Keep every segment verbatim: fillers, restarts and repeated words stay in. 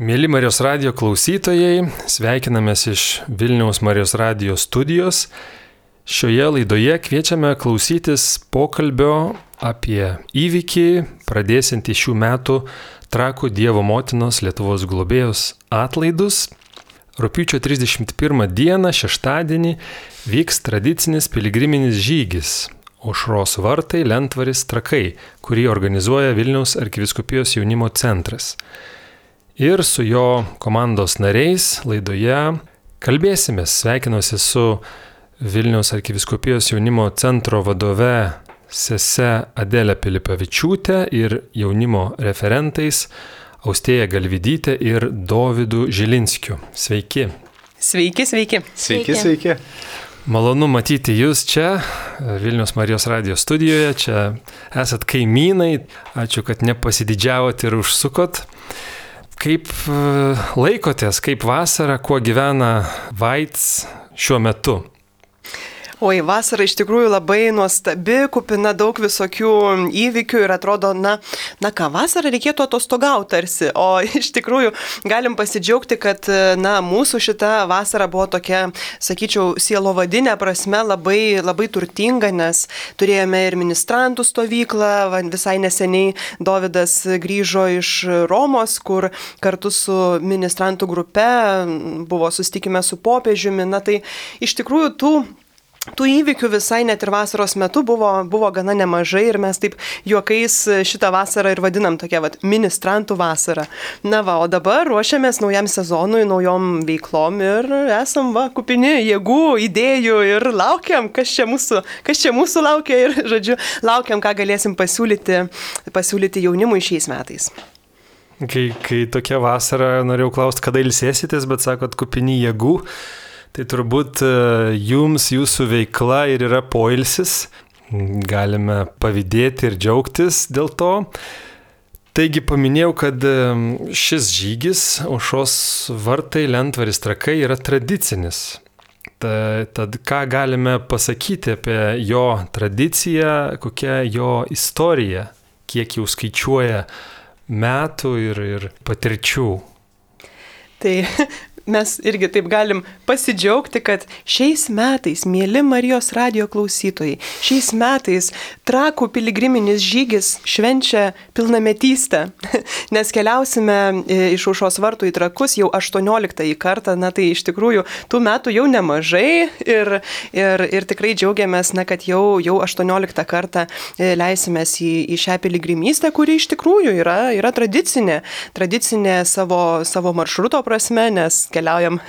Mėly Marijos radijo klausytojai, sveikinamės iš Vilniaus Marijos radijo studijos. Šioje laidoje kviečiame klausytis pokalbio apie įvykį, pradėsiantį šių metų Trakų Dievo Motinos Lietuvos globėjos atlaidus. Rugpjūčio trisdešimt pirmą dieną, šeštadienį, vyks tradicinis piligriminis žygis Aušros vartai Lentvaris Trakai, kurį organizuoja Vilniaus arkivyskupijos jaunimo centras. Ir su jo komandos nariais laidoje kalbėsime. Sveikinuosi su Vilniaus arkivyskupijos jaunimo centro vadove sese Adelė Pilipavičiūtė ir jaunimo referentais Austėja Galvidytė ir Dovydu Žilinskiu. Sveiki. Sveiki, sveiki. Sveiki, sveiki. Malonu matyti jūs čia, Vilniaus Marijos radijo studijoje. Čia esat kaimynai. Ačiū, kad nepasididžiavot ir užsukot. Kaip laikotės, kaip vasara, kuo gyvena Vaits šiuo metu? Oi, vasara iš tikrųjų labai nuostabi, kupina daug visokių įvykių ir atrodo, na, na ką, vasarą reikėtų atostogauti tarsi, o iš tikrųjų galim pasidžiaugti, kad, na, mūsų šita vasara buvo tokia, sakyčiau, sielovadinė prasme labai, labai turtinga, nes turėjome ir ministrantų stovyklą, visai neseniai Dovydas grįžo iš Romos, kur kartu su ministrantų grupe buvo susitikime su popiežiumi, na tai iš tikrųjų tų Tų įvykių visai net ir vasaros metu buvo, buvo gana nemažai ir mes taip juokais šitą vasarą ir vadinam tokia vat, ministrantų vasara. Na va, o dabar ruošiamės naujam sezonui, naujom veiklom ir esam va, kupini jėgų, idėjų ir laukiam, kas čia mūsų, kas čia mūsų laukia ir, žodžiu, laukiam, ką galėsim pasiūlyti, pasiūlyti jaunimui šiais metais. Kai, kai tokia vasara, norėjau klausti, kada ilsėsitės, bet sakot, kupini jėgų. Tai turbūt jums, jūsų veikla ir yra poilsis, galime pavydėti ir džiaugtis dėl to. Taigi paminėjau, kad šis žygis Aušros vartai Lentvaris Trakai yra tradicinis. Tad ką galime pasakyti apie jo tradiciją, kokia jo istorija, kiek jau skaičiuoja metų ir, ir patirčių? Tai mes irgi taip galim pasidžiaugti, kad šiais metais, mėly Marijos radijo klausytojai, šiais metais Trakų piligriminis žygis švenčia pilnametystę, nes keliausime iš Aušros vartų į Trakus jau aštuonioliktąjį kartą, na tai iš tikrųjų tų metų jau nemažai ir, ir, ir tikrai džiaugiamės, na, kad jau, jau aštuonioliktą kartą leisimės į, į šią piligrimystę, kuri iš tikrųjų yra, yra tradicinė, tradicinė savo, savo maršruto prasme, nes keliaujam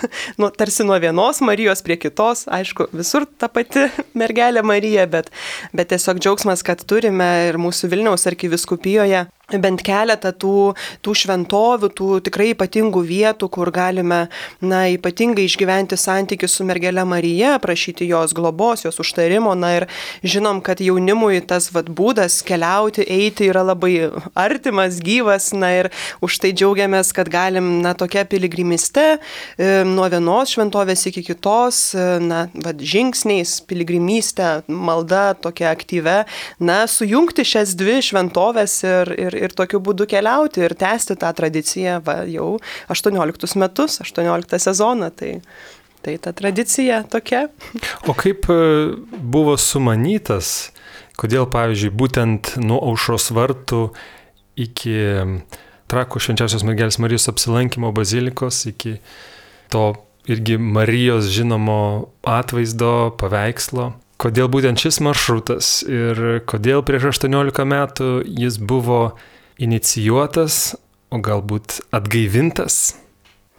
nu, tarsi nuo vienos Marijos prie kitos, aišku, visur ta pati mergelė Marija, bet, bet tiesiog džiaugsmas, kad turime ir mūsų Vilniaus arkivyskupijoje bent keletą tų, tų šventovių, tų tikrai ypatingų vietų, kur galime, na, ypatingai išgyventi santykių su mergelė Marija, prašyti jos globos, jos užtarimo, na ir žinom, kad jaunimui tas vat, būdas keliauti, eiti yra labai artimas, gyvas, na ir už tai džiaugiamės, kad galim, na, tokia piligrimiste e, nuo vienos šventovės iki kitos, e, na, vat, žingsniais, piligrimystė, malda tokia aktyve, na, sujungti šias dvi šventovės ir, ir ir tokiu būdu keliauti ir tęsti tą tradiciją va, jau aštuonioliktus metus, aštuonioliktą sezoną. Tai, tai ta tradicija tokia. O kaip buvo sumanytas, kodėl, pavyzdžiui, būtent nuo Aušros vartų iki Trakų švenčiausios mergelės Marijos apsilankimo bazilikos, iki to irgi Marijos žinomo atvaizdo, paveikslo? Kodėl būtent šis maršrutas ir kodėl prieš aštuoniolika metų jis buvo inicijuotas, o galbūt atgaivintas?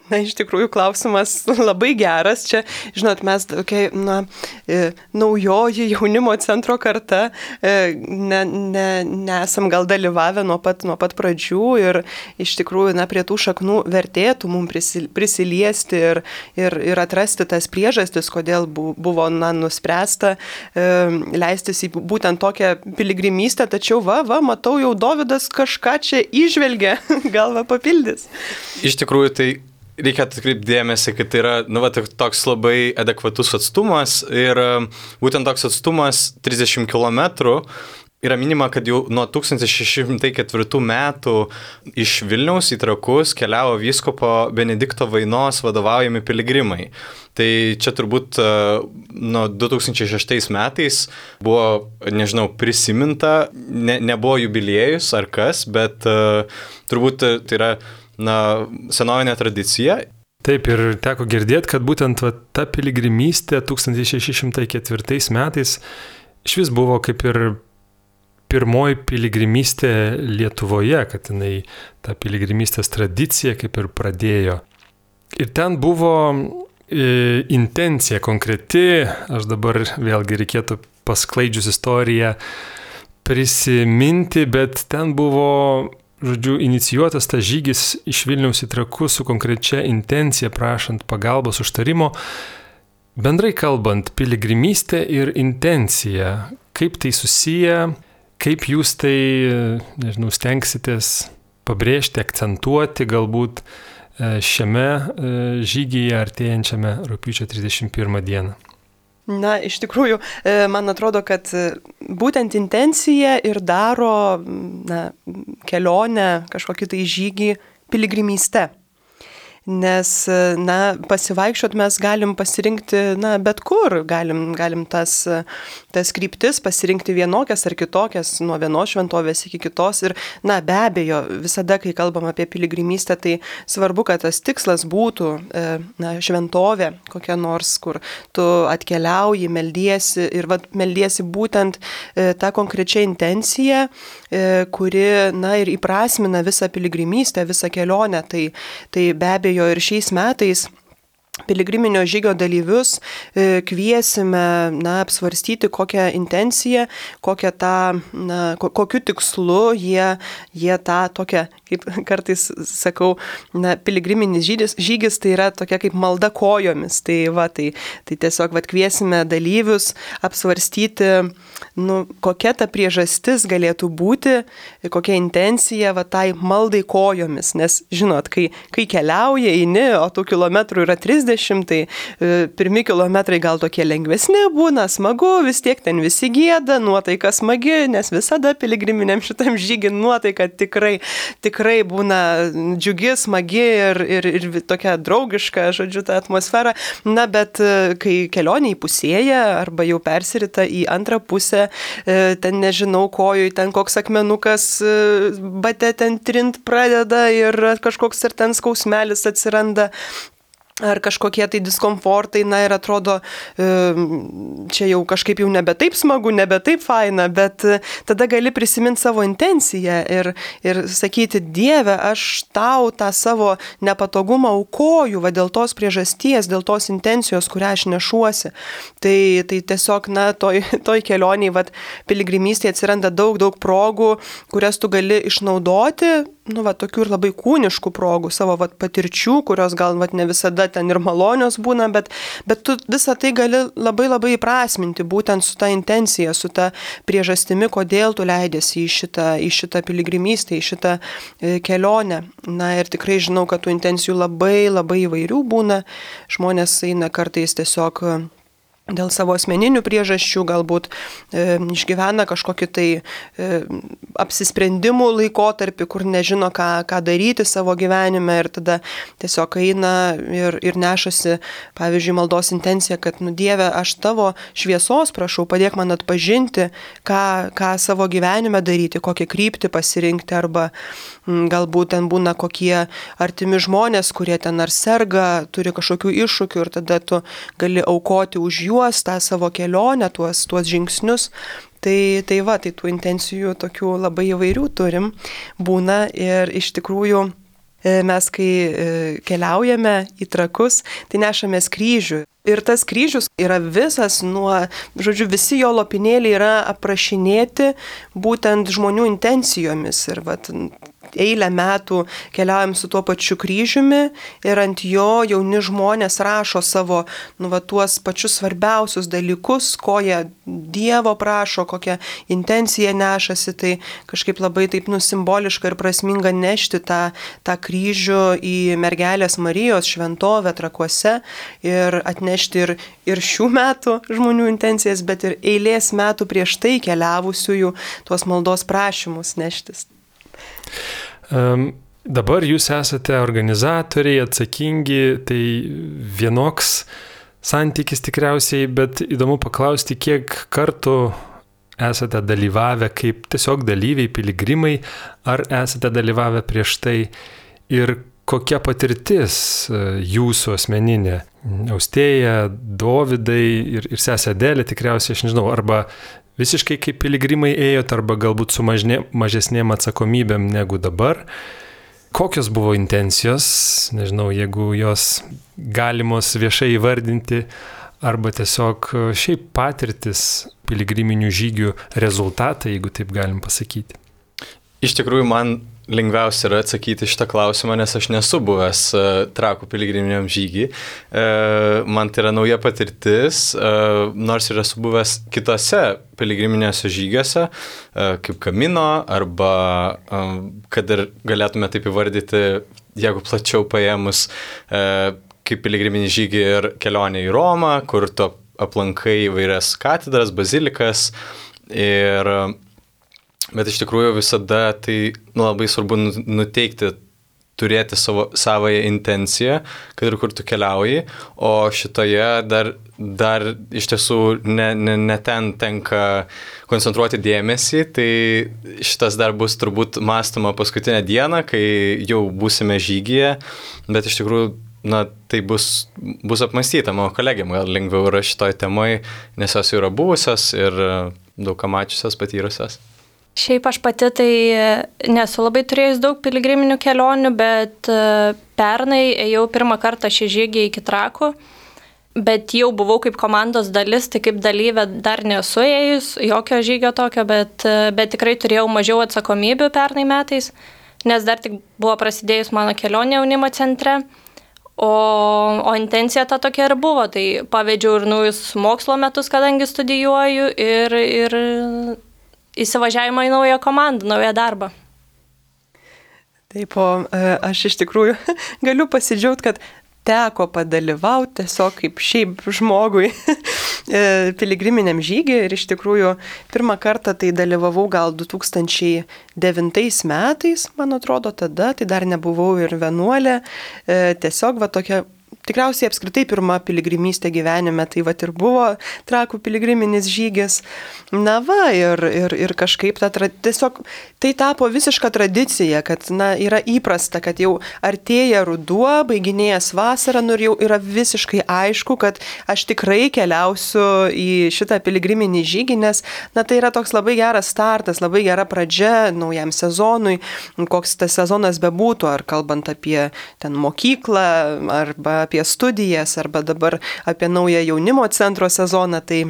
Na, iš tikrųjų, klausimas labai geras. Čia, žinot, mes tokia, na, e, naujoji jaunimo centro karta, e, ne, ne, nesam gal dalyvavę nuo pat, nuo pat pradžių ir iš tikrųjų, na, prie tų šaknų vertėtų mums prisiliesti ir, ir, ir atrasti tas priežastis, kodėl buvo, na, nuspręsta e, leistis į būtent tokią piligrimystę, tačiau, va, va, matau, jau Dovydas kažką čia įžvelgia, gal va papildys. Iš tikrųjų, tai reikia atkreipti dėmesį, kad tai yra, nu, va, toks labai adekvatus atstumas ir būtent toks atstumas trisdešimt kilometrų yra minima, kad jau nuo tūkstantis šeši šimtai ketvirtų metų iš Vilniaus į Trakus keliavo vyskupo Benedikto Vainos vadovaujami piligrimai. Tai čia turbūt nuo du tūkstančiai šeštais metais buvo, nežinau, prisiminta, ne, nebuvo jubiliejus ar kas, bet uh, turbūt tai yra na, senovinė tradicija. Taip, ir teko girdėti, kad būtent va, ta piligrimystė tūkstantis šeši šimtai ketvirtais metais iš vis buvo kaip ir pirmoji piligrimystė Lietuvoje, kad jinai tą piligrimystės tradiciją kaip ir pradėjo. Ir ten buvo e, intencija konkreti, aš dabar vėlgi reikėtų pasklaidžius istoriją prisiminti, bet ten buvo, žodžiu, inicijuotas tas žygis iš Vilniaus į Trakus su konkrečia intencija, prašant pagalbos užtarimo. Bendrai kalbant, piligrimystė ir intencija, kaip tai susiję, kaip jūs tai, nežinau, stengsitės pabrėžti, akcentuoti galbūt šiame žygyje artėjančiame rugpjūčio trisdešimt pirmą dieną? Na, iš tikrųjų, man atrodo, kad būtent intencija ir daro na, kelionę, kažkokį tai žygį piligrimyste. Nes, na, pasivaikščiot mes galim pasirinkti, na, bet kur, galim, galim tas, tas kryptis pasirinkti vienokias ar kitokias, nuo vienos šventovės iki kitos. Ir, na, be abejo, visada, kai kalbam apie piligrimystę, tai svarbu, kad tas tikslas būtų, na, šventovė kokia nors, kur tu atkeliauji, meldiesi ir, vat, meldiesi būtent tą konkrečią intenciją, kuri, na, ir įprasmina visą piligrimystę, visą kelionę. Tai, tai be abejo, ir šiais metais piligriminio žygio dalyvius kviesime, na, apsvarstyti kokią intenciją, kokią tą, na, kokiu tikslu jie, jie tą tokią, kaip kartais sakau, na, piligriminis žygis, žygis tai yra tokia kaip malda kojomis. Tai, va, tai, tai tiesiog va, kviesime dalyvius apsvarstyti, nu, kokia ta priežastis galėtų būti, kokia intencija va, tai maldai kojomis. Nes, žinot, kai, kai keliauja, eini, o tų kilometrų yra trisdešimt, tai e, pirmi kilometrai gal tokie lengvesni būna, smagu, vis tiek ten visi gieda, nuotaika smagi, nes visada piligriminiam šitam žygį nuotaika tikrai, tikrai būna džiugi, smagi ir, ir, ir tokia draugiška, žodžiu, ta atmosfera. Na, bet e, kai kelionė įpusėja arba jau persirita į antrą pusę, e, ten nežinau kojui, ten koks akmenukas e, bate ten trint pradeda ir kažkoks ir ten skausmelis atsiranda. Ar kažkokie tai diskomfortai, na ir atrodo, čia jau kažkaip jau nebe taip smagu, nebe taip faina, bet tada gali prisiminti savo intenciją ir, ir sakyti, Dieve, aš tau tą savo nepatogumą aukoju, va dėl tos priežasties, dėl tos intencijos, kurią aš nešuosi. Tai, tai tiesiog, na, toj, toj kelioniai, va, piligrimystėje atsiranda daug, daug progų, kurias tu gali išnaudoti, nu, va, tokių ir labai kūniškų progų, savo va, patirčių, kurios gal va, ne visada ten ir malonios būna, bet, bet tu visą tai gali labai labai įprasminti būtent su ta intencija, su ta priežastimi, kodėl tu leidėsi į šitą, į šitą piligrimystę, į šitą e, kelionę. Na ir tikrai žinau, kad tų intencijų labai labai įvairių būna. Žmonės eina kartais tiesiog dėl savo asmeninių priežasčių, galbūt e, išgyvena kažkokį tai e, apsisprendimų laikotarpį, kur nežino, ką, ką daryti savo gyvenime ir tada tiesiog eina ir, ir nešasi, pavyzdžiui, maldos intencija, kad, nu, Dieve, aš tavo šviesos prašau, padėk man atpažinti, ką, ką savo gyvenime daryti, kokią kryptį pasirinkti, arba m, galbūt ten būna kokie artimi žmonės, kurie ten ar serga, turi kažkokių iššūkių ir tada tu gali aukoti už jų tą savo kelionę, tuos, tuos žingsnius. Tai, tai va, tai tų intencijų tokių labai įvairių turim, būna ir iš tikrųjų mes, kai keliaujame į Trakus, tai nešamės kryžių. Ir tas kryžius yra visas nuo, žodžiu, visi jo lopinėliai yra aprašinėti būtent žmonių intencijomis. Ir vat, eilę metų keliaujam su tuo pačiu kryžiumi ir ant jo jauni žmonės rašo savo, nu, va, tuos pačius svarbiausius dalykus, ko jie Dievo prašo, kokią intenciją nešasi, tai kažkaip labai taip nusimboliška ir prasminga nešti tą, tą kryžių į mergelės Marijos šventovę Trakuose ir atnešti ir, ir šių metų žmonių intencijas, bet ir eilės metų prieš tai keliavusiųjų tuos maldos prašymus neštis. Um, dabar jūs esate organizatoriai, atsakingi, tai vienoks santykis tikriausiai, bet įdomu paklausti, kiek kartų esate dalyvavę kaip tiesiog dalyviai, piligrimai, ar esate dalyvavę prieš tai ir kokia patirtis jūsų asmeninė? Austėja, Dovydai ir, ir sesė Adelė tikriausiai, aš nežinau, arba visiškai kaip piligrimai ėjot, arba galbūt su mažne, mažesnėm atsakomybėm negu dabar. Kokios buvo intencijos, nežinau, jeigu jos galimos viešai įvardinti, arba tiesiog šiaip patirtis piligriminių žygių rezultatai, jeigu taip galim pasakyti. Iš tikrųjų, man lengviausia yra atsakyti šitą klausimą, nes aš nesu buvęs uh, Trakų piligriminiam žygį. Uh, man tai yra nauja patirtis, uh, nors ir esu buvęs kitose piligriminėse žygiuose, uh, kaip Kamino, arba uh, kad ir galėtume taip įvardyti, jeigu plačiau paėmus, uh, kaip piligriminį žygį ir kelionę į Romą, kur tu aplankai įvairias katedras, bazilikas ir bet iš tikrųjų visada tai nu, labai svarbu nuteikti, turėti savo savąją intenciją, kad ir kur tu keliauji, o šitoje dar, dar iš tiesų ne, ne, ne ten tenka koncentruoti dėmesį, tai šitas dar bus turbūt mąstoma paskutinę dieną, kai jau būsime žygyje, bet iš tikrųjų na, tai bus, bus apmąstyta, mano kolegėm gal lengviau yra šitoj temoj, nes jos yra buvusios ir daug ką mačiusios, patyrusios. Šiaip aš pati tai nesu labai turėjus daug piligriminių kelionių, bet pernai ėjau pirmą kartą šį žygį iki Trakų, bet jau buvau kaip komandos dalis, tai kaip dalyvė dar nesu ėjus, jokio žygio tokio, bet, bet tikrai turėjau mažiau atsakomybių pernai metais, nes dar tik buvo prasidėjus mano kelionė jaunimo centre, o, o intencija ta tokia ir buvo, tai pavedžiau ir naujus mokslo metus, kadangi studijuoju ir... ir įsivažiavimą į naują komandą, naują darbą. Taip, o aš iš tikrųjų galiu pasidžiaugti, kad teko padalyvauti tiesiog kaip šiaip žmogui piligriminiam žygį ir iš tikrųjų pirmą kartą tai dalyvavau gal du tūkstančiai devintais metais, man atrodo tada, tai dar nebuvau ir vienuolė, tiesiog va tokia tikriausiai apskritai pirma piligrimystė gyvenime, tai vat ir buvo Trakų piligriminis žygis. Na va, ir, ir, ir kažkaip ta, tiesiog tai tapo visiška tradicija, kad na, yra įprasta, kad jau artėja ruduo, baiginėjas vasara, nu ir jau yra visiškai aišku, kad aš tikrai keliausiu į šitą piligriminį žygį, nes na, tai yra toks labai geras startas, labai gera pradžia naujam sezonui, koks tas sezonas bebūtų, ar kalbant apie ten mokyklą, arba apie studijas, arba dabar apie naują jaunimo centro sezoną, tai,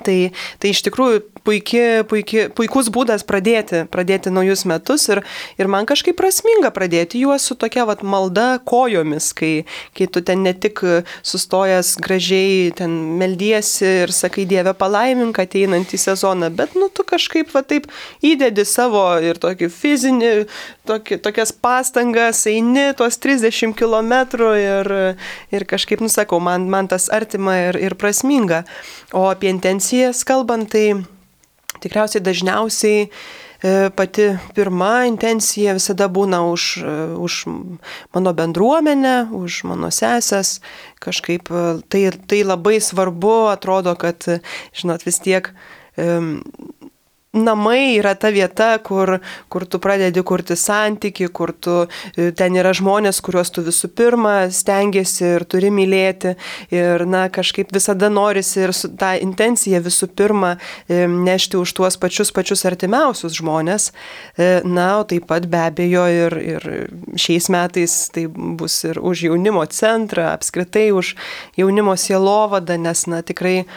tai, tai iš tikrųjų puiki, puiki, puikus būdas pradėti, pradėti naujus metus ir, ir man kažkaip prasminga pradėti juos su tokia vat, malda kojomis, kai, kai tu ten ne tik sustojęs gražiai ten meldiesi ir sakai Dieve palaimink ateinantį sezoną, bet nu, tu kažkaip va, taip įdedi savo ir tokį fizinį, tokį, tokias pastangas, eini tuos trisdešimt kilometrų ir, ir kažkaip, nusakau, man, man tas artima ir, ir prasminga. O apie intencijas kalbant, tai tikriausiai dažniausiai pati pirma intencija visada būna už, už mano bendruomenę, už mano sesės. Kažkaip tai, tai labai svarbu, atrodo, kad, žinot, vis tiek um, namai yra ta vieta, kur, kur tu pradedi kurti santykį, kur tu, ten yra žmonės, kuriuos tu visų pirma stengiasi ir turi mylėti. Ir na, kažkaip visada norisi ir su, tą intenciją visų pirma nešti už tuos pačius pačius artimiausius žmonės. Na, o taip pat be abejo ir, ir šiais metais tai bus ir už jaunimo centrą, apskritai už jaunimo sielovadą, nes na, tikrai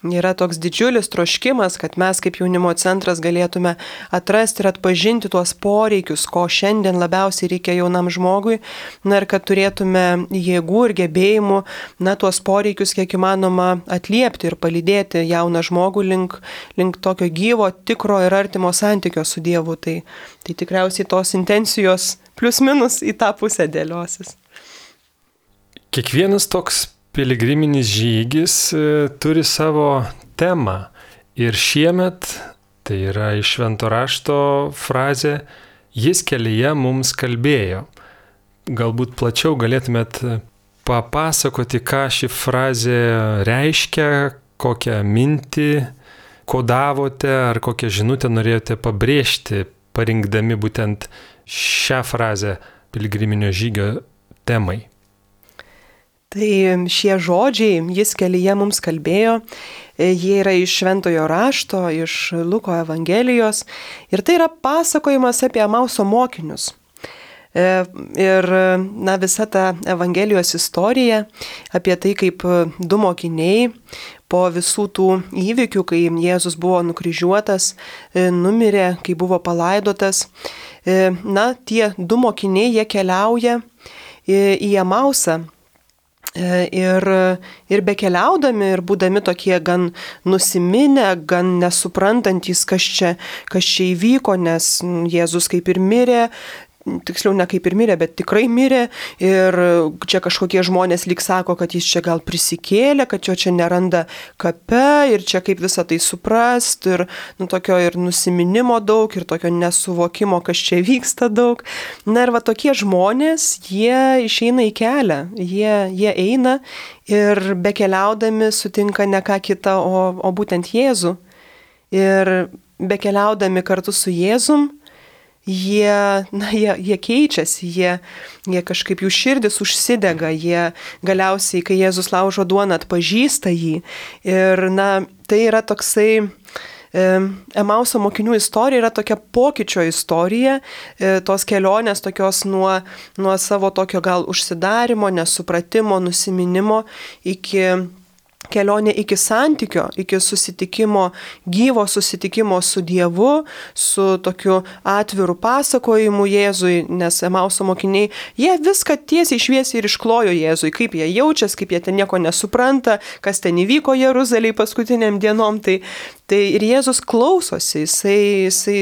yra toks didžiulis troškimas, kad mes kaip jaunimo centras galėtume atrasti ir atpažinti tuos poreikius, ko šiandien labiausiai reikia jaunam žmogui, na ir kad turėtume jėgų ir gebėjimų, na, tuos poreikius kiek įmanoma atliepti ir palydėti jauną žmogų link, link tokio gyvo, tikro ir artimo santykio su Dievu. Tai, tai tikriausiai tos intencijos plius minus į tą pusę dėliosis. Kiekvienas toks piligriminis žygis turi savo temą ir šiemet, tai yra iš Švento rašto frazė, jis kelyje mums kalbėjo. Galbūt plačiau galėtumėt papasakoti, ką ši frazė reiškia, kokią mintį kodavote ar kokią žinutę norėjote pabrėžti, parinkdami būtent šią frazę piligriminio žygio temai. Tai šie žodžiai, jis kelyje mums kalbėjo, jie yra iš Šventojo rašto, iš Luko Evangelijos ir tai yra pasakojimas apie Emauso mokinius. Ir na, visa ta Evangelijos istorija apie tai, kaip du mokiniai po visų tų įvykių, kai Jėzus buvo nukryžiuotas, numirė, kai buvo palaidotas, na, tie du mokiniai, jie keliauja į Emausą. Ir, ir bekeliaudami ir būdami tokie gan nusiminę, gan nesuprantantys, kas čia, kas čia įvyko, nes Jėzus kaip ir mirė, tiksliau ne kaip ir mirė, bet tikrai mirė ir čia kažkokie žmonės lyg sako, kad jis čia gal prisikėlė, kad jo čia neranda kape ir čia kaip visą tai suprast ir nu, tokio ir nusiminimo daug ir tokio nesuvokimo, kas čia vyksta daug. Na ir va tokie žmonės, jie išeina į kelią, jie, jie eina ir bekeliaudami sutinka ne ką kitą, o, o būtent Jėzų. Ir bekeliaudami kartu su Jėzum, Jie, na, jie, jie keičiasi, jie, jie kažkaip jų širdis užsidega, jie galiausiai, kai Jėzus laužo duoną, atpažįsta jį. Ir na, tai yra toksai, e, Emauso mokinių istorija yra tokia pokyčio istorija, e, tos kelionės tokios nuo, nuo savo tokio gal užsidarimo, nesupratimo, nusiminimo iki kelionė iki santykio, iki susitikimo, gyvo susitikimo su Dievu, su tokiu atviru pasakojimu Jėzui, nes Emauso mokiniai, jie viską tiesiai šviesiai ir išklojo Jėzui, kaip jie jaučiasi, kaip jie ten nieko nesupranta, kas ten įvyko Jeruzalėje paskutiniam dienom, tai, tai ir Jėzus klausosi, jisai, jisai,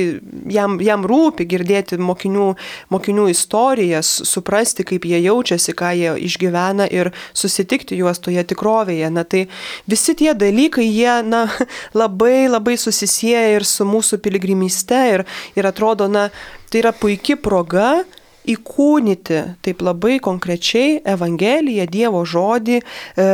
jam, jam rūpi girdėti mokinių, mokinių istorijas, suprasti, kaip jie jaučiasi, ką jie išgyvena ir susitikti juos toje tikrovėje. Na, tai visi tie dalykai, jie na, labai labai susisieja ir su mūsų piligrimyste ir, ir atrodo, na, tai yra puiki proga įkūnyti taip labai konkrečiai Evangeliją, Dievo žodį, e,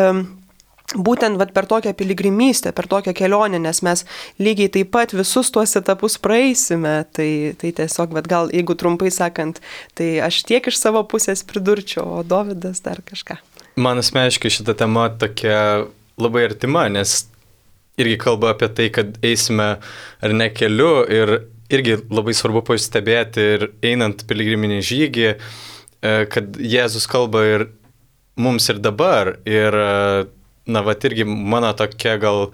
būtent vat, per tokią piligrimystę, per tokią kelionę, nes mes lygiai taip pat visus tuos etapus praeisime. Tai, tai tiesiog, vat, gal jeigu trumpai sakant, tai aš tiek iš savo pusės pridurčiau, o Dovydas dar kažką. Man asmeniškai šita tema tokia labai artima, nes irgi kalba apie tai, kad eisime ar ne keliu ir irgi labai svarbu pastebėti ir einant piligriminį žygį, kad Jėzus kalba ir mums ir dabar. Ir, na, va, irgi mano tokia gal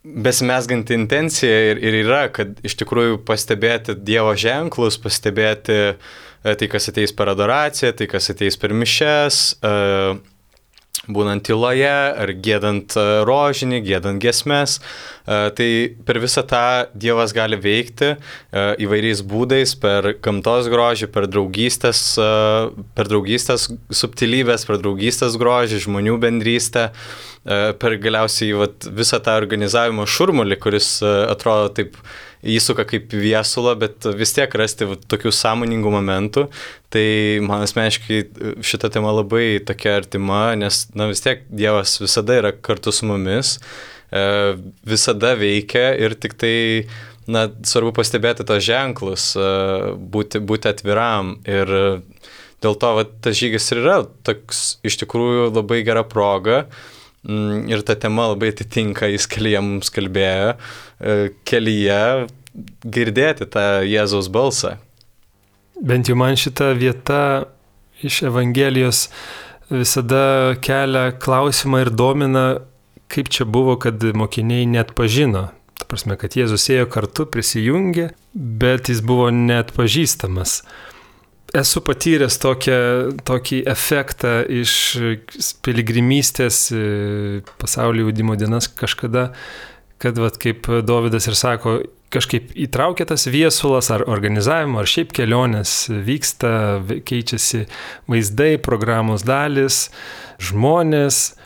besimesganti intencija ir, ir yra, kad iš tikrųjų pastebėti Dievo ženklus, pastebėti tai, kas ateis per adoraciją, tai, kas ateis per mišes, būnant tyloje ar giedant rožinį, giedant giesmes. Tai per visą tą Dievas gali veikti įvairiais būdais, per gamtos grožį, per draugystės, per draugystės subtilybės, per draugystės grožį, žmonių bendrystę, per galiausiai vat, visą tą organizavimo šurmulį, kuris atrodo taip įsuka kaip viesulą, bet vis tiek rasti tokių sąmoningų momentų. Tai man asmeniškai šita tema labai tokia artima, nes na, vis tiek Dievas visada yra kartu su mumis, visada veikia ir tik tai na, svarbu pastebėti tos ženklus, būti, būti atviram. Ir dėl to va, tas žygis ir yra toks iš tikrųjų labai gera proga. Ir ta tema labai atitinka, jis kelyje mums kalbėjo, kelyje girdėti tą Jėzaus balsą. Bent jau man šita vieta iš Evangelijos visada kelia klausimą ir domina, kaip čia buvo, kad mokiniai net pažino. Ta prasme, kad Jėzus ėjo kartu, prisijungė, bet jis buvo net pažįstamas. Esu patyręs tokią, tokį efektą iš piligrimystės pasaulio jaunimo dienas kažkada, kad vat, kaip Dovydas ir sako, kažkaip įtraukia tas viesulas ar organizavimo, ar šiaip kelionės vyksta, keičiasi vaizdai, programos dalis, žmonės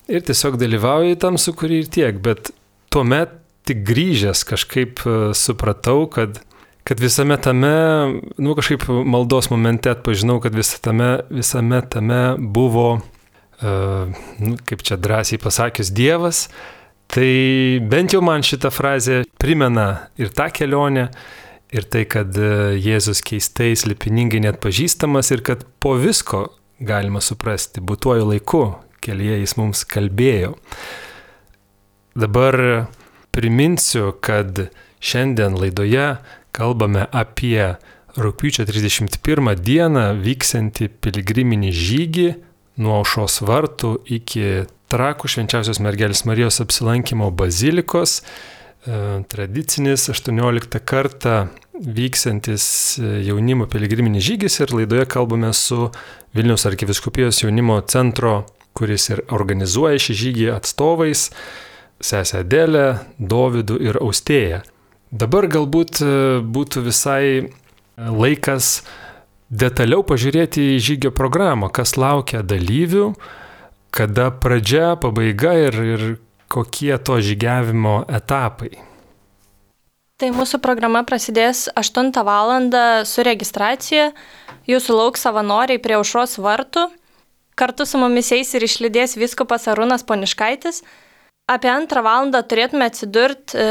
ir tiesiog dalyvauja tam sukūrį ir tiek, bet tuomet tik grįžęs kažkaip supratau, kad kad visame tame, nu kažkaip maldos momente atpažinau, kad visame tame, visame tame buvo, uh, nu, kaip čia drąsiai pasakius, Dievas. Tai bent jau man šitą frazę primena ir tą kelionę, ir tai, kad Jėzus keistai, slėpiningai net pažįstamas ir kad po visko galima suprasti, būtuoju laiku kelyje jis mums kalbėjo. Dabar priminsiu, kad šiandien laidoje kalbame apie rugpjūčio trisdešimt pirmą dieną vyksiantį piligriminį žygį nuo Aušros vartų iki Trakų Švenčiausios Mergelės Marijos apsilankimo bazilikos. Tradicinis aštuonioliktą kartą vyksiantis jaunimo piligriminį žygis ir laidoje kalbame su Vilniaus arkivyskupijos jaunimo centro, kuris ir organizuoja šį žygį, atstovais, sesę Adelę, Dovydu ir Austėją. Dabar galbūt būtų visai laikas detaliau pažiūrėti į žygio programą, kas laukia dalyvių, kada pradžia, pabaiga ir, ir kokie to žygiavimo etapai. Tai mūsų programa prasidės aštuntą valandą su registracija. Jūsų lauks savanoriai prie Aušros vartų. Kartu su mumis eis ir išlydės vyskupas Arūnas Poniškaitis. Apie antrą valandą turėtume atsidurti e,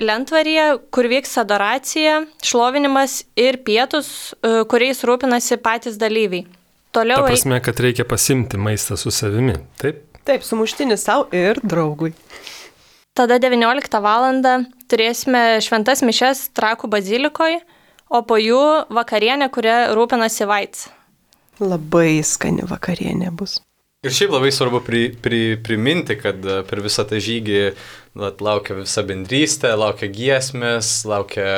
lentvaryje, kur vyks adoracija, šlovinimas ir pietus, e, kuriais rūpinasi patys dalyviai. Toliau... Ta prasme, kad reikia pasimti maistą su savimi, taip? Taip, sumuštinis savo ir draugui. Tada devynioliktą valandą turėsime šventas mišias Trakų bazilikoje, o po jų vakarienė, kuria rūpinasi Vaits. Labai skani vakarienė bus. Ir šiaip labai svarbu pri, pri, priminti, kad per visą tą žygį laukia visa bendrystė, laukia giesmės, laukia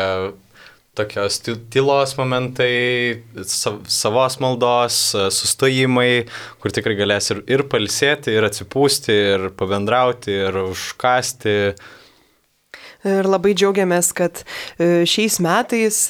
tokios tylos momentai, savos maldos, sustojimai, kur tikrai galės ir, ir pailsėti, ir atsipūsti, ir pabendrauti, ir užkasti. Ir labai džiaugiamės, kad šiais metais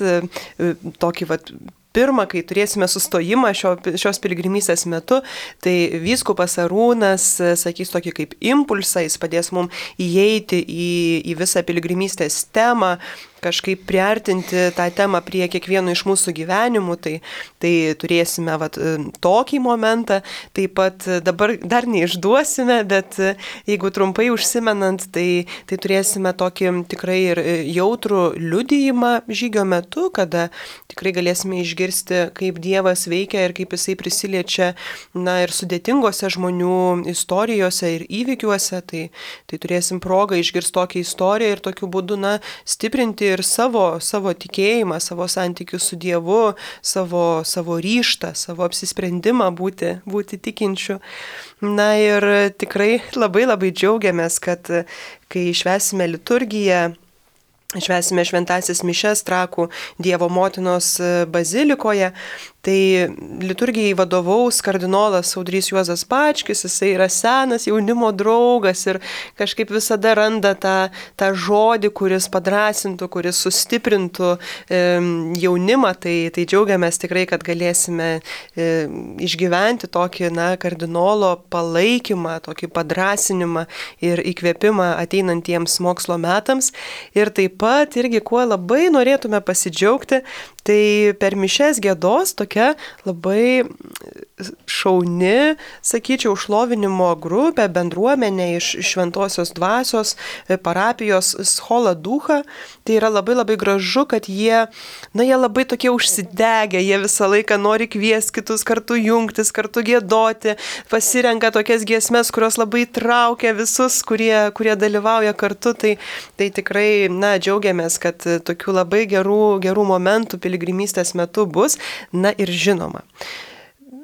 tokį vat pirmą, kai turėsime sustojimą šio, šios piligrimystės metu, tai vyskupas Arūnas sakys tokį kaip impulsą, jis padės mums įeiti į, į visą piligrimystės temą, kažkaip priartinti tą temą prie kiekvieno iš mūsų gyvenimų, tai, tai turėsime vat, tokį momentą, taip pat dabar dar neišduosime, bet jeigu trumpai užsimenant, tai, tai turėsime tokį tikrai ir jautrų liudijimą žygio metu, kada tikrai galėsime išgirsti, kaip Dievas veikia ir kaip jisai prisiliečia, na, ir sudėtingose žmonių istorijose ir įvykiuose, tai, tai turėsim progą išgirsti tokią istoriją ir tokiu būdu, na, stiprinti ir savo, savo tikėjimą, savo santykius su Dievu, savo, savo ryžtą, savo apsisprendimą būti, būti tikinčiu. Na ir tikrai labai labai džiaugiamės, kad kai švęsime liturgiją, švęsime šventąsias mišias Trakų Dievo motinos bazilikoje, tai liturgijai vadovaus kardinolas Audrys Juozas Bačkis, jisai yra senas jaunimo draugas ir kažkaip visada randa tą, tą žodį, kuris padrąsintų, kuris sustiprintų e, jaunimą, tai, tai džiaugiamės tikrai, kad galėsime e, išgyventi tokį, na, kardinolo palaikymą, tokį padrąsinimą ir įkvėpimą ateinantiems mokslo metams. Ir taip pat irgi, kuo labai norėtume pasidžiaugti, tai per mišias giedos tokia labai šauni, sakyčiau, šlovinimo grupė, bendruomenė iš Šventosios Dvasios parapijos Schola Ducha. Tai yra labai labai gražu, kad jie, na, jie labai tokie užsidegę, jie visą laiką nori kviesti kitus kartu jungtis, kartu giedoti, pasirenka tokias giesmes, kurios labai traukia visus, kurie, kurie dalyvauja kartu. Tai, tai tikrai, na, džiaugiamės, kad tokių labai gerų, gerų momentų piligrimystės metu bus. Na ir žinoma,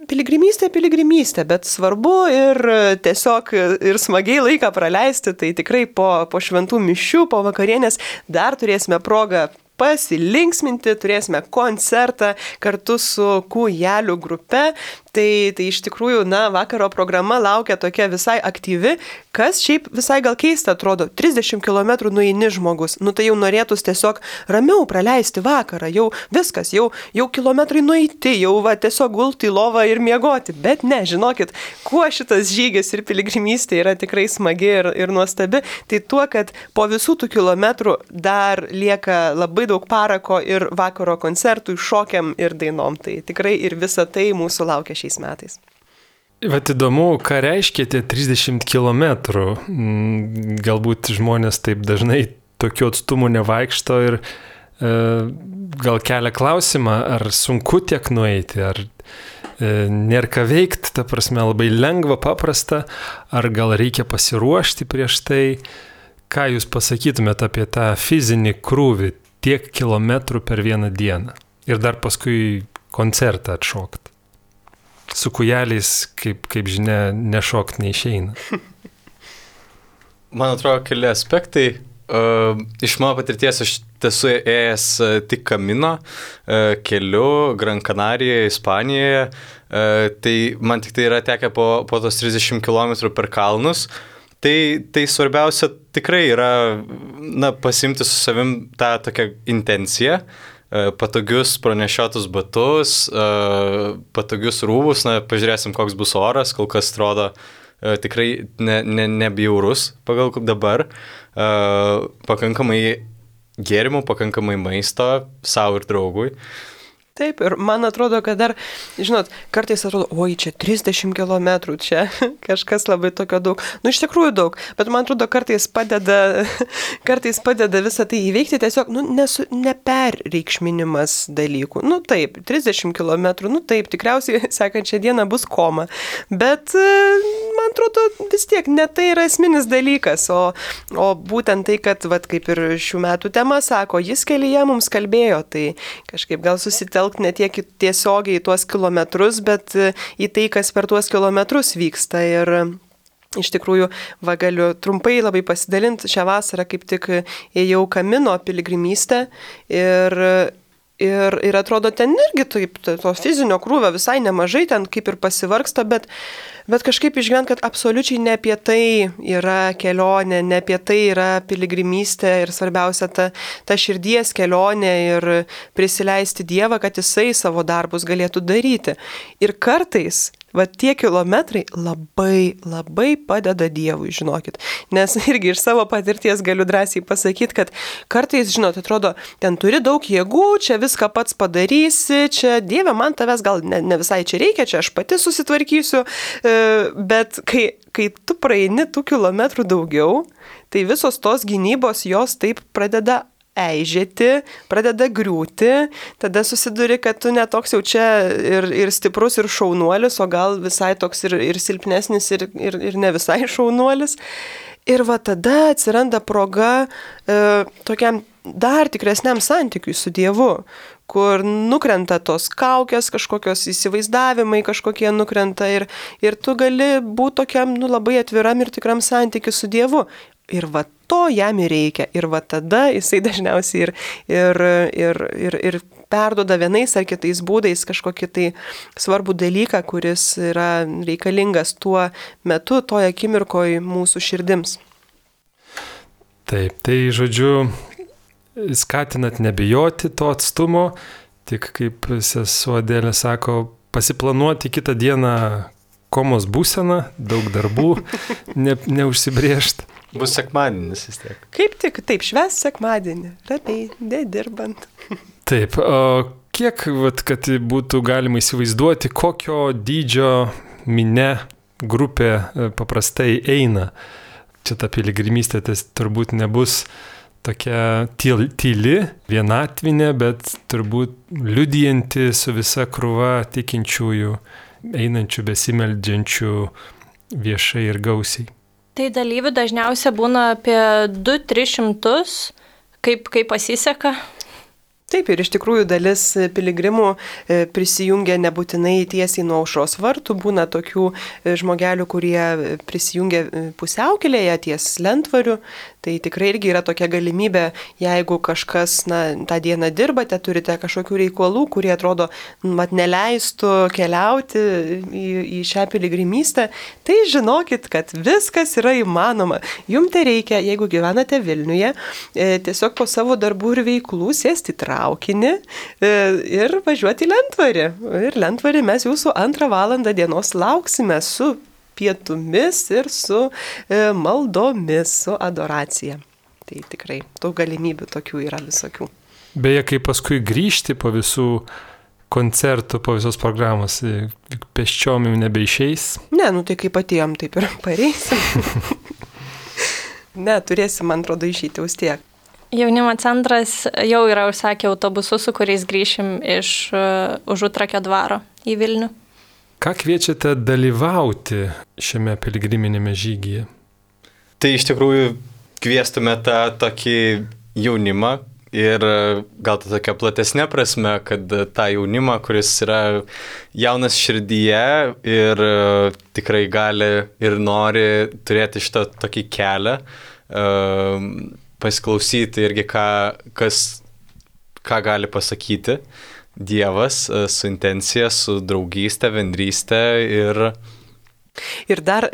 piligrimystė, piligrimystė, bet svarbu ir tiesiog ir smagiai laiką praleisti, tai tikrai po, po šventų mišių, po vakarienės dar turėsime progą pasilinksminti, turėsime koncertą kartu su Kūjelių grupe. Tai, tai iš tikrųjų, na, vakaro programa laukia tokia visai aktyvi, kas šiaip visai gal keista atrodo. trisdešimt kilometrų nueini žmogus, nu tai jau norėtus tiesiog ramiau praleisti vakarą, jau viskas, jau, jau kilometrai nueiti, jau va, tiesiog gulti į lovą ir miegoti. Bet ne, žinokit, kuo šitas žygis ir piligrimystė yra tikrai smagi ir, ir nuostabi, tai tuo, kad po visų tų kilometrų dar lieka labai daug parako ir vakaro koncertų, šokiam ir dainom. Tai tikrai ir visa tai mūsų laukia šiais metais. Vat įdomu, ką reiškia tie trisdešimt kilometrų. Galbūt žmonės taip dažnai tokiu atstumu nevaikšto ir e, gal kelia klausimą, ar sunku tiek nueiti, ar e, nėra ką veikti, ta prasme labai lengva, paprasta, ar gal reikia pasiruošti prieš tai. Ką jūs pasakytumėte apie tą fizinį krūvį, tiek kilometrų per vieną dieną ir dar paskui koncertą atšokti? Su kūjeliais, kaip, kaip žinia, nešokti neišeina. Man atrodo, keli aspektai. Uh, iš mano patirties aš esu ėjęs uh, tik Kamino uh, keliu Gran Canarijoje, Ispanijoje. Uh, tai man tik tai yra tekę po, po tos trisdešimt kilometrų per kalnus. Tai, tai svarbiausia tikrai yra, na, pasimti su savim tą tokią intenciją, patogius pranešiotus batus, patogius rūbus, na, pažiūrėsim, koks bus oras, kol kas atrodo tikrai ne, ne, nebjaurus pagal dabar, pakankamai gėrimų, pakankamai maisto savo ir draugui. Taip, ir man atrodo, kad dar, žinot, kartais atrodo, oi, čia trisdešimt kilometrų, čia kažkas labai tokio daug. Nu, iš tikrųjų daug, bet man atrodo, kartais padeda, kartais padeda visą tai įveikti, tiesiog, nu, nesu, neperreikšminimas dalykų. Nu, taip, trisdešimt kilometrų, nu, taip, tikriausiai sekančią dieną bus koma, bet man atrodo, vis tiek ne tai yra esminis dalykas, o, o būtent tai, kad, vat, kaip ir šių metų tema sako, jis kelyje mums kalbėjo, tai kažkaip gal susitelkti ne tiek tiesiogiai į tuos kilometrus, bet į tai, kas per tuos kilometrus vyksta. Ir iš tikrųjų, va, galiu trumpai labai pasidalinti. Šią vasarą kaip tik ėjau Kamino piligrimystę ir, ir, ir atrodo, ten irgi taip, to fizinio krūvio visai nemažai, ten kaip ir pasivargsta, bet Bet kažkaip išgyvent, kad absoliučiai ne apie tai yra kelionė, ne apie tai yra piligrimystė ir svarbiausia ta, ta širdies kelionė ir prisileisti Dievą, kad jisai savo darbus galėtų daryti. Ir kartais, va, tie kilometrai labai, labai padeda Dievui, žinokit. Nes irgi iš savo patirties galiu drąsiai pasakyti, kad kartais, žinot, atrodo, ten turi daug jėgų, čia viską pats padarysi, čia Dieve, man tavęs gal ne, ne visai čia reikia, čia aš pati susitvarkysiu. Bet kai, kai tu praeini tų kilometrų daugiau, tai visos tos gynybos jos taip pradeda eižėti, pradeda griūti, tada susiduri, kad tu netoks jau čia ir, ir stiprus, ir šaunuolis, o gal visai toks ir, ir silpnesnis, ir, ir, ir ne visai šaunuolis. Ir va tada atsiranda proga e, tokiam dar tikresniam santykiui su Dievu, kur nukrenta tos kaukės, kažkokios įsivaizdavimai kažkokie nukrenta ir, ir tu gali būti tokiam, nu, labai atviram ir tikram santykiu su Dievu. Ir va to jam ir reikia. Ir va tada jisai dažniausiai ir, ir, ir, ir, ir perduoda vienais ar kitais būdais kažkokį tai svarbų dalyką, kuris yra reikalingas tuo metu, toje akimirkoje mūsų širdims. Taip, tai žodžiu, skatinat nebijoti to atstumo, tik kaip sesuo Adelė sako, pasiplanuoti kitą dieną komos būseną, daug darbų, ne, neužsibrėžt. Bus sekmadienis vis tiek. Kaip tik, taip, švęs sekmadienį, ramiai, nedirbant. Taip, o kiek, vat, kad būtų galima įsivaizduoti, kokio dydžio minia grupė paprastai eina? Čia ta piligrimystė tai turbūt nebus tokia tyli, vienatvinė, bet turbūt liudijanti su visa krūva tikinčiųjų, einančių, besimeldžiančių viešai ir gausiai. Tai dalyvių dažniausiai būna apie du tris šimtus, kaip, kaip pasiseka. Taip, ir iš tikrųjų dalis piligrimų prisijungia nebūtinai tiesiai nuo aušros vartų, būna tokių žmogelių, kurie prisijungia pusiaukelėje ties lentvariu, tai tikrai irgi yra tokia galimybė, jeigu kažkas na, tą dieną dirbate, turite kažkokių reikalų, kurie atrodo mat neleistų keliauti į, į šią piligrimystę, tai žinokit, kad viskas yra įmanoma. Jums tai reikia, jeigu gyvenate Vilniuje, tiesiog po savo darbų ir veiklų sėsti traukinį ir važiuoti į lentvarį. Ir lentvarį mes jūsų antrą valandą dienos lauksime su pietumis ir su maldomis, su adoracija. Tai tikrai daug galimybių tokių yra visokių. Beje, kai paskui grįžti po visų koncertų, po visos programos, pėsčiom jau nebeišeis? Ne, nu tai kaip atėjom, taip ir pareisim. Ne, turėsim, man atrodo, išeiti vis tiek. Jaunimo centras jau yra užsakę autobusus, su kuriais grįšim iš uh, Užutrakio dvaro į Vilnių. Ką kviečiate dalyvauti šiame piligriminėme žygyje? Tai iš tikrųjų kviestume tą tokį jaunimą ir gal tą tokią platesnę prasme, kad tą jaunimą, kuris yra jaunas širdyje ir uh, tikrai gali ir nori turėti šitą tokį kelią, uh, pasiklausyti irgi, ką, kas, ką gali pasakyti Dievas su intencija, su draugystė, bendrystė ir... Ir dar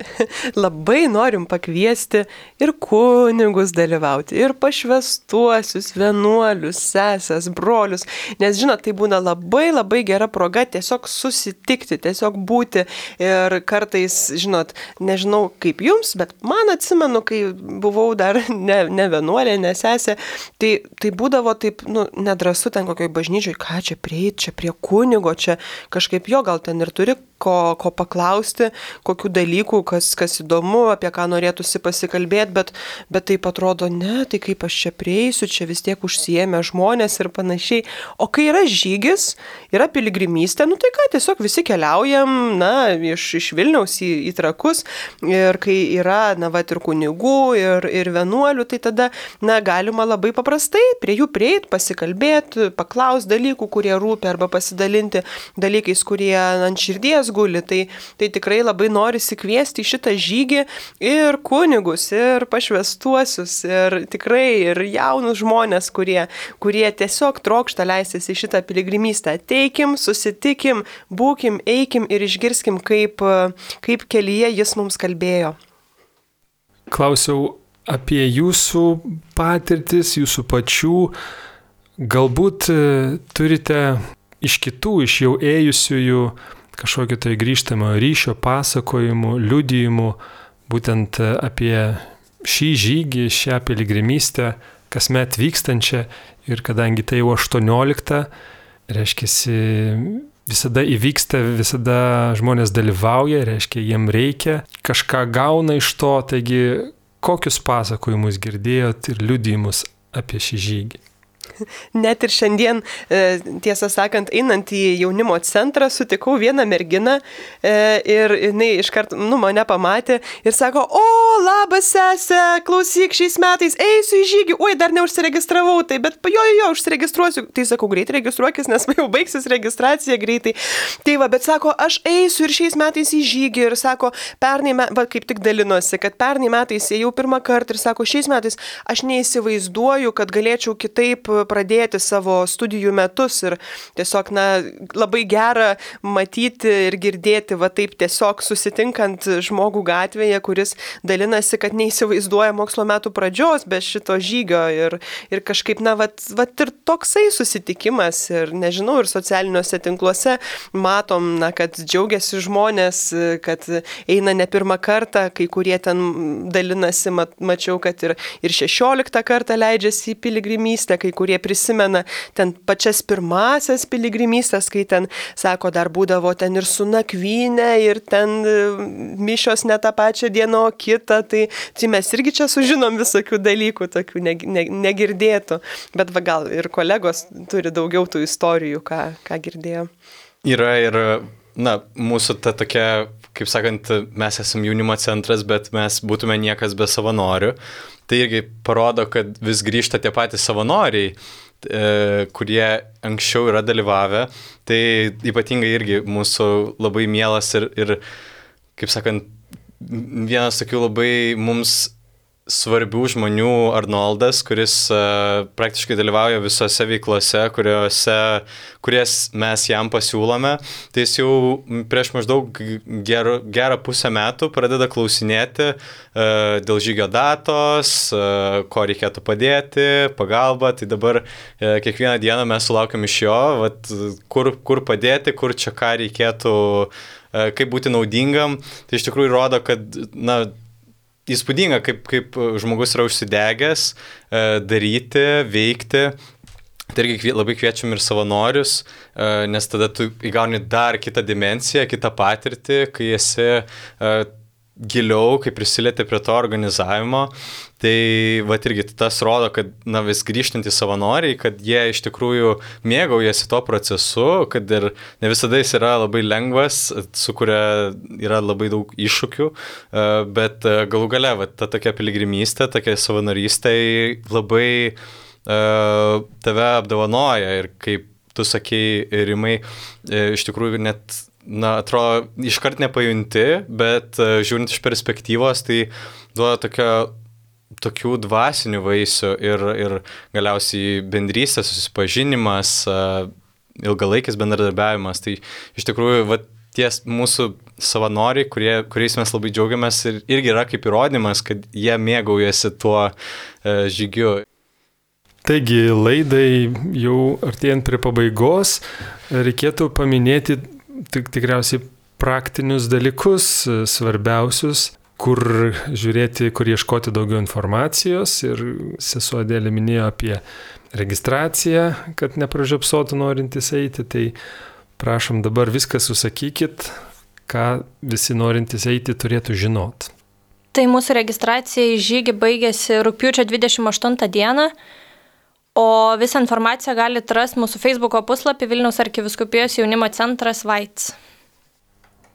labai norim pakviesti ir kunigus dalyvauti, ir pašvestuosius, vienuolius, sesės, brolius, nes žinot, tai būna labai labai gera proga tiesiog susitikti, tiesiog būti ir kartais, žinot, nežinau kaip jums, bet man atsimenu, kai buvau dar ne, ne vienuolė, ne sesė, tai, tai būdavo taip, nu, nedrasu ten kokioj bažnyčioj, ką čia prieit, čia prie kunigo, čia kažkaip jo gal ten ir turi ko, ko paklausti, kokių dalykų, kas, kas įdomu, apie ką norėtųsi pasikalbėti, bet, bet taip atrodo, ne, tai kaip aš čia prieisiu, čia vis tiek užsiėmė žmonės ir panašiai. O kai yra žygis, yra piligrimystė, nu tai ką, tiesiog visi keliaujam, na, iš, iš Vilniaus į, į Trakus ir kai yra, na, va, ir kunigų, ir, ir vienuolių, tai tada, na, galima labai paprastai prie jų prieit, pasikalbėti, paklausti dalykų, kurie rūpi, arba pasidalinti dalykais, kurie ant širdies guli. Tai, tai tikrai labai norisi kviesti į šitą žygį ir kunigus, ir pašvestuosius, ir tikrai ir jaunus žmonės, kurie, kurie tiesiog trokšta leistis į šitą piligrimystę. Ateikim, susitikim, būkim, eikim ir išgirskim, kaip, kaip kelyje jis mums kalbėjo. Klausiau apie jūsų patirtis, jūsų pačių. Galbūt turite iš kitų, iš jau ėjusiųjų kažkokio tai grįžtamo ryšio, pasakojimų, liudijimų, būtent apie šį žygį, šią piligrimystę, kasmet vykstančią, ir kadangi tai jau aštuoniolikta, reiškia, visada įvyksta, visada žmonės dalyvauja, reiškia, jiem reikia, kažką gauna iš to, taigi kokius pasakojimus girdėjot ir liudijimus apie šį žygį? Net ir šiandien, tiesą sakant, einant į jaunimo centrą, sutikau vieną merginą ir jinai iškart, nu, mane pamatė ir sako, o, labas sesė, klausyk, šiais metais eisiu į žygį, oi, dar neužsiregistravau, tai, bet jo, jo, jo, užsiregistruosiu. Tai sakau, greitai registruokis, nes jau baigsis registracija greitai. Tai va, bet sako, aš eisiu ir šiais metais į žygį ir sako, pernai, va, kaip tik dalinosi, kad pernai metais ėjau pirmą kartą ir sako, šiais metais aš neįsivaizduoju, kad galėčiau kitaip pradėti savo studijų metus ir tiesiog, na, labai gera matyti ir girdėti, va taip tiesiog susitinkant žmogų gatvėje, kuris dalinasi, kad neįsivaizduoja mokslo metų pradžios be šito žygio ir, ir kažkaip, na, va, va ir toksai susitikimas ir, nežinau, ir socialiniuose tinkluose matom, na, kad džiaugiasi žmonės, kad eina ne pirmą kartą, kai kurie ten dalinasi, mat, mačiau, kad ir, ir šešioliktą kartą leidžiasi į piligrimystę, kai kurie prisimena ten pačias pirmasias piligrimystės, kai ten, sako, dar būdavo ten ir su nakvynė, ir ten mišios ne tą pačią dieną, o kitą, tai, tai mes irgi čia sužinom visokių dalykų, tokių ne, ne, negirdėtų, bet va, gal ir kolegos turi daugiau tų istorijų, ką, ką girdėjo. Yra ir, na, mūsų ta tokia, kaip sakant, mes esame jaunimo centras, bet mes būtume niekas be savanorių. Tai irgi parodo, kad vis grįžta tie patys savanoriai. kurie anksčiau yra dalyvavę. Tai ypatingai irgi mūsų labai mielas ir, ir kaip sakant, vienas tokių labai mums svarbių žmonių Arnoldas, kuris uh, praktiškai dalyvauja visose veiklose, kuriuose, kurias mes jam pasiūlome. Tai jis jau prieš maždaug ger, gerą pusę metų pradeda klausinėti uh, dėl žygio datos, uh, ko reikėtų padėti, pagalba. Tai dabar uh, kiekvieną dieną mes sulaukiam iš jo, vat, kur, kur padėti, kur čia ką reikėtų, uh, kaip būti naudingam. Tai iš tikrųjų rodo, kad, na, įspūdinga, kaip, kaip žmogus yra užsidegęs e, daryti, veikti. Tai irgi labai kviečiam ir savanorius, e, nes tada tu įgauni dar kitą dimensiją, kitą patirtį, kai esi e, giliau, kai prisilieti prie to organizavimo. Tai va irgi tas rodo, kad na, vis grįžtantys savanoriai, kad jie iš tikrųjų mėgaujasi to procesu, kad ir ne visada jis yra labai lengvas, su kuria yra labai daug iššūkių, bet galų gale va, ta tokia piligrimystė, tokia savanorystė labai uh, tave apdovanoja ir kaip tu sakei, Rimai, iš tikrųjų net, na, atrodo, iškart nepajunti, bet uh, žiūrint iš perspektyvos, tai duoda tokia tokių dvasinių vaisių ir, ir galiausiai bendrystės, susipažinimas, ilgalaikis bendradarbiavimas. Tai iš tikrųjų va, ties mūsų savanoriai, kurie, kuriais mes labai džiaugiamės ir irgi yra kaip įrodymas, kad jie mėgaujasi tuo žygiu. Taigi laidai jau artėjant prie pabaigos, reikėtų paminėti tik, tikriausiai praktinius dalykus, svarbiausius, kur žiūrėti, kur ieškoti daugiau informacijos. Ir sesuo Adelė minėjo apie registraciją, kad nepražiopsotų norintys eiti. Tai prašom dabar viską susakykit, ką visi norintys eiti turėtų žinot. Tai mūsų registracija į žygį baigėsi rugpjūčio dvidešimt aštuntą dieną, o visą informaciją galite rasti mūsų Facebooko puslapį Vilniaus arkivyskupijos jaunimo centras Vaits.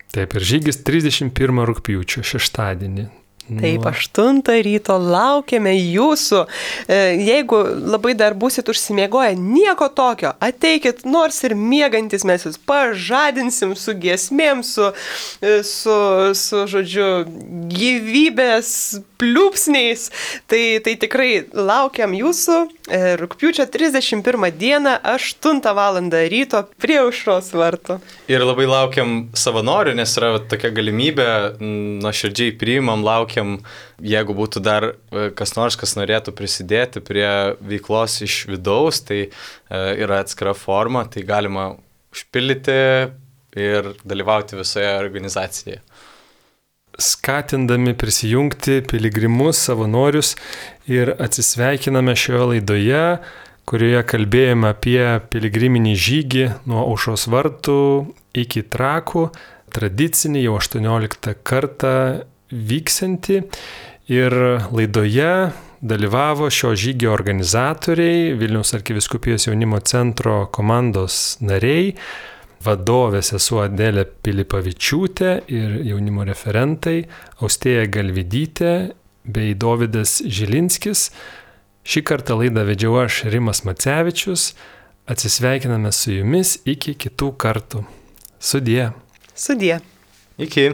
Taip, ir žygis trisdešimt pirmą rugpjūčio, šeštadienį. Taip, aštuntą ryto laukiame jūsų. Jeigu labai dar būsit užsimiegoję, nieko tokio, ateikit, nors ir miegantis mes jūs pažadinsim su giesmėm, su, su, su žodžiu, gyvybės pliūpsniais. Tai, tai tikrai laukiam jūsų rugpjūčio trisdešimt pirmą dieną, aštuntą valandą ryto prie aušros vartų. Ir labai laukiam savanorių, nes yra tokia galimybė, nuoširdžiai priimam, laukiam, jeigu būtų dar kas nors, kas norėtų prisidėti prie veiklos iš vidaus, tai yra atskira forma, tai galima užpildyti ir dalyvauti visoje organizacijoje. Skatindami prisijungti piligrimus, savanorius ir atsisveikiname šioje laidoje, kurioje kalbėjome apie piligriminį žygį nuo aušros vartų iki Trakų, tradicinį jau aštuonioliktą kartą vyksianti. Ir laidoje dalyvavo šio žygio organizatoriai, Vilniaus arkivyskupijos jaunimo centro komandos nariai, vadovė sesuo Adelė Pilipavičiūtė ir jaunimo referentai Austėja Galvidytė bei Dovydas Žilinskis. Šį kartą laidą vedžiau aš, Rimas Macevičius. Atsisveikiname su jumis iki kitų kartų. Sudie. Sudie. Iki.